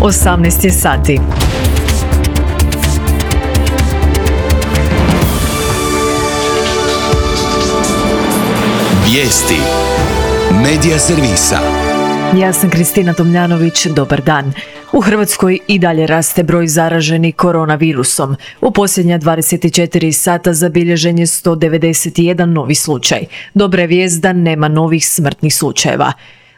18 je sati. Vijesti Medija servisa. Ja sam Kristina Tomljanović, dobar dan. U Hrvatskoj i dalje raste broj zaraženih koronavirusom. U posljednja 24 sata zabilježen je 191 novi slučaj. Dobra je vijest da nema novih smrtnih slučajeva.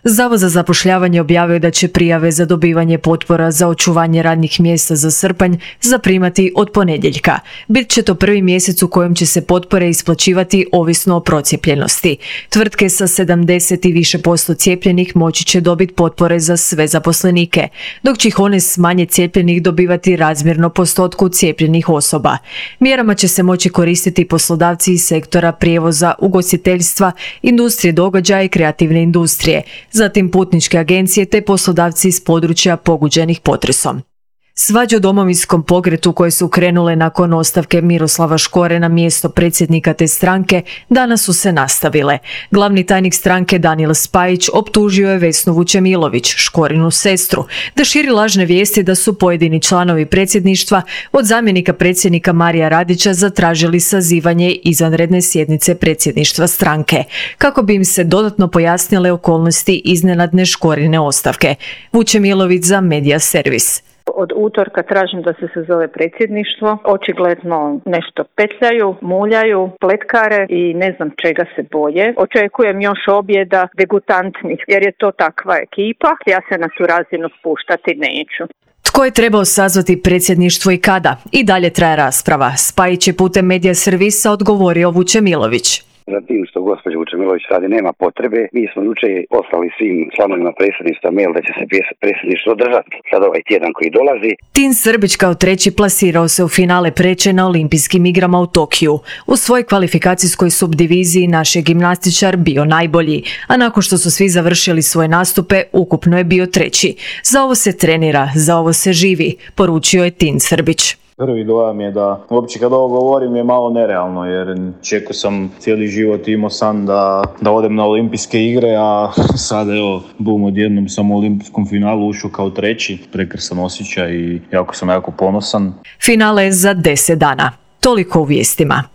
Zavod za zapošljavanje objavio da će prijave za dobivanje potpora za očuvanje radnih mjesta za srpanj zaprimati od ponedjeljka. Bit će to prvi mjesec u kojem će se potpore isplaćivati ovisno o procijepljenosti. Tvrtke sa 70 i više % cijepljenih moći će dobiti potpore za sve zaposlenike, dok će ih one s manje cijepljenih dobivati razmjerno postotku cijepljenih osoba. Mjerama će se moći koristiti poslodavci iz sektora prijevoza, ugostiteljstva, industrije događaja i kreativne industrije, zatim putničke agencije te poslodavci iz područja pogođenih potresom. Svađe o Domovinskom pokretu koje su krenule nakon ostavke Miroslava Škore na mjesto predsjednika te stranke danas su se nastavile. Glavni tajnik stranke Danijel Spajić optužio je Vesnu Vučemilović, Škorinu sestru, da širi lažne vijesti da su pojedini članovi predsjedništva od zamjenika predsjednika Marija Radića zatražili sazivanje izvanredne sjednice predsjedništva stranke, kako bi im se dodatno pojasnile okolnosti iznenadne Škorine ostavke. Vučemilović za Medija servis. Od utorka tražim da se sazove predsjedništvo. Očigledno nešto petljaju, muljaju, pletkare i ne znam čega se boje. Očekujem još objeda degutantnih jer je to takva ekipa. Ja se na tu razinu spuštati neću. Tko je trebao sazvati predsjedništvo i kada? I dalje traje rasprava. Spajić je putem Medija servisa odgovorio Vučemilović. Za tim što gospođa Vučemilović radi nema potrebe. Mi smo jučer poslali svim članovima predsjedništva mail da će se predsjedništvo održati sad ovaj tjedan koji dolazi. Tin Srbić kao treći plasirao se u finale preče na Olimpijskim igrama u Tokiju. U svojoj kvalifikacijskoj subdiviziji naš je gimnastičar bio najbolji, a nakon što su svi završili svoje nastupe, ukupno je bio treći. Za ovo se trenira, za ovo se živi, poručio je Tin Srbić. Prvi dojam je da uopće kad ovo govorim je malo nerealno jer čekao sam cijeli život, imao san da odem na olimpijske igre, a sada evo bum odjednom sam u olimpijskom finalu ušao kao treći, prekrasan osjećaj i jako sam ponosan. Finale je za 10 dana. Toliko u vijestima.